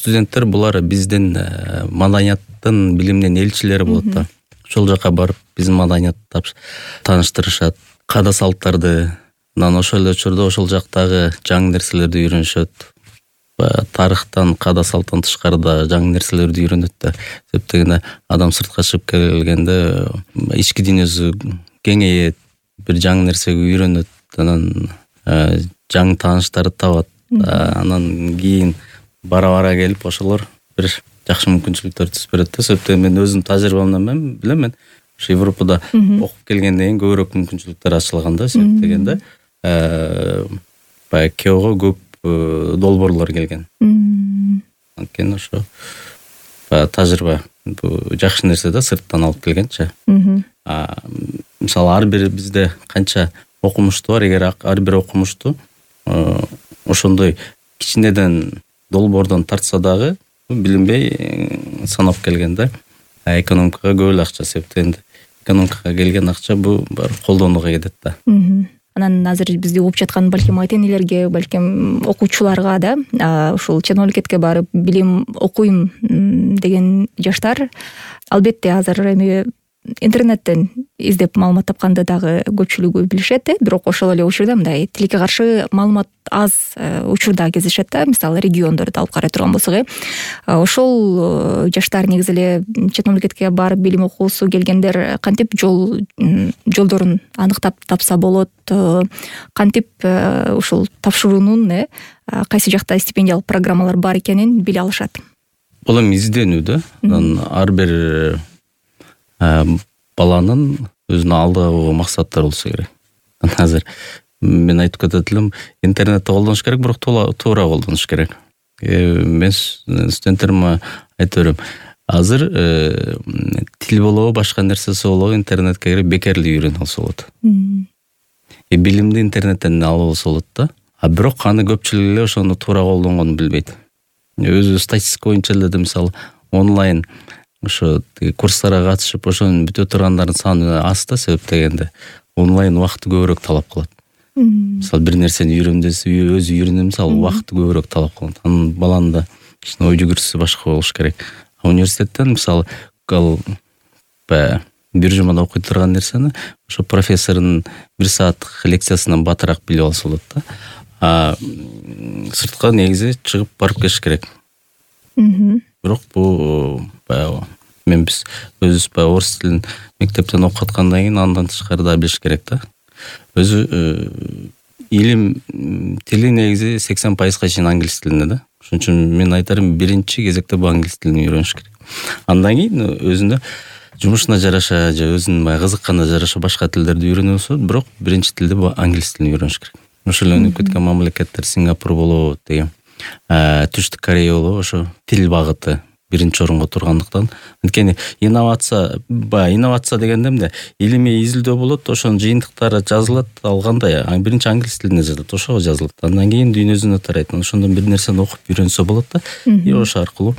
студенттер булар биздин маданияттын, билимдин элчилери болот да. Ошол жака барып биздин маданиятты тааныштырышат, каада салттарды, анан ошол эле учурда ошол жактагы жаңы нерселерди үйрөнүшөт. Тарыхтан, каада салттан тышкары да жаңы нерселерди үйрөнөт да. Себеп дегенде адам сыртка чыгып келгенде ички дүйнөсү кеңейет, бир жаңы нерсеге үйрөнөт, анан жаңы тааныштарды табат. Анан кийин бара келип ошолор бир жакшы мүмкүнчүлүктөр түзүп берет да. Себеп мен өзүмдүн тажрыйбамдан билем, мен ошо Европада окуп келгенден кийин көбүрөөк мүмкүнчүлүктөр ачылган да. Себеп дегенде баягы Кеого көп долбоорлор келген. Анткени ошо тажрыйба жакшы нерсе да, сырттан алып келгенчи. Мисалы ар бир бизде канча окумуштуу бар, эгер ар бир окумуштуу ошондой кичинеден долбоордон тартса дагы билинбей санап келгенде экономикага көп эле акча себептен экономикага келген акча бул баары колдонууга кетет да. Анан азыр бизди угуп жаткан балким ата энелерге, балким окуучуларга да ушул чет мамлекетке барып билим окуйм деген жаштар албетте азыр эми интернеттен издеп маалымат тапканды дагы көпчүлүгү билишет, бирок ошол эле учурда мындай тилекке каршы маалымат аз учурда кездешет да. Мисалы региондорду алып карай турган болсок, ошол жаштар негизи эле чет мамлекетке барып билим окуусу келгендер кантип жолдорун аныктап тапса болот, кантип ушул тапшыруунун кайсы жакта стипендиялык программалар бар экенин биле алышат. Бул эми изденүү да. Анан ар бир баланын өзүнө алдыга койгон максаттары болсо керек. Азыр мен айтып кетет элем, интернетти колдонуш керек, бирок туура колдонуш керек. Мен студенттериме айтып берем, азыр тил болобу, башка нерсеси болобу, интернетке кирип бекерли үйрөнүп алса болот. Билимди интернеттен алып алса болот да. Бирок аны көпчүлүк эле ошону туура колдонгонун билбейт. Өзү статистика боюнча эле мисалы онлайн ошо курстарга катышып ошонун бүтө тургандардын саны аз да. Себеп дегенде онлайн убакытты көбүрөөк талап кылат. Мисалы бир нерсени үйрөндүсү өзү үйрөнөм, мисалы убакытты көбүрөөк талап кылат. Анын баланын да кичине ой жүгүртүсү башка болуш керек. Университеттен мисалы бир жумада окуй турган нерсени ошо профессордун 1 сааттык лекциясынан батыраак билип алса болот да. Сыртка негизи чыгып барып келиш керек. Бирок бул биз өзүбүз орус тилин мектептен окуп аткандан кийин андан тышкары да билиш керек да. Өзү илим тили негизи 80% чейин англис тилинде да. Ошон үчүн мен айтарым, биринчи кезекте бул англис тилин үйрөнүш керек. Андан кийин өзүнө жумушуна жараша же өзүнүн кызыкканына жараша башка тилдерди үйрөнө болсо, бирок биринчи тилде бул англис тилин үйрөнүш керек. Ошол эле өнүгүп кеткен мамлекеттер, Сингапур болобу деген, Түштүк Корея болобу, ошо тил багыты биринчи орунга тургандыктан. Анткени инновация дегенде эмне? Илимий изилдөө болот, ошонун жыйынтыктары жазылат, ал кандай? Биринчи англис тилинде жазылат, ошого жазылат. Андан кийин дүйнө жүзүнө тарайт. Ошондон бир нерсени окуп үйрөнсө болот да. И ошо аркылуу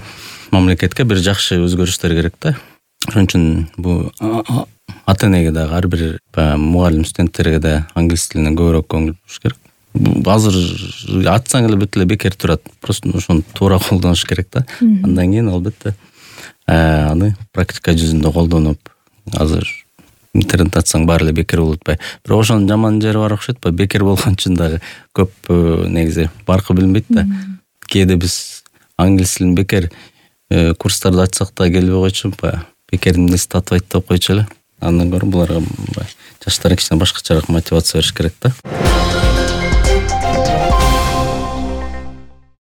мамлекетке бир жакшы өзгөрүштөр керек да. Ошон үчүн бул ата энеге дагы, ар бир мугалим студенттерге да англис тилине көбүрөөк көңүл буруш керек. Азыр атсаң эле бүт эле бекер турат. Просто ошону туура колдонуш керек да. Андан кийин албетте аны практика жүзүндө колдонуп, азыр интернет атсаң баары эле бекер болуп атпайбы. Бирок ошонун жаман жери бар окшойт, бекер болгон үчүн дагы көп негизи баркы билинбейт да. Кээде биз англис тилин бекер курстарды ачсак да келбей койчу, бекер эмнеси татбайт деп койчу эле. Андан көрө буларга жаштарга кичине башкачараак мотивация бериш керек да.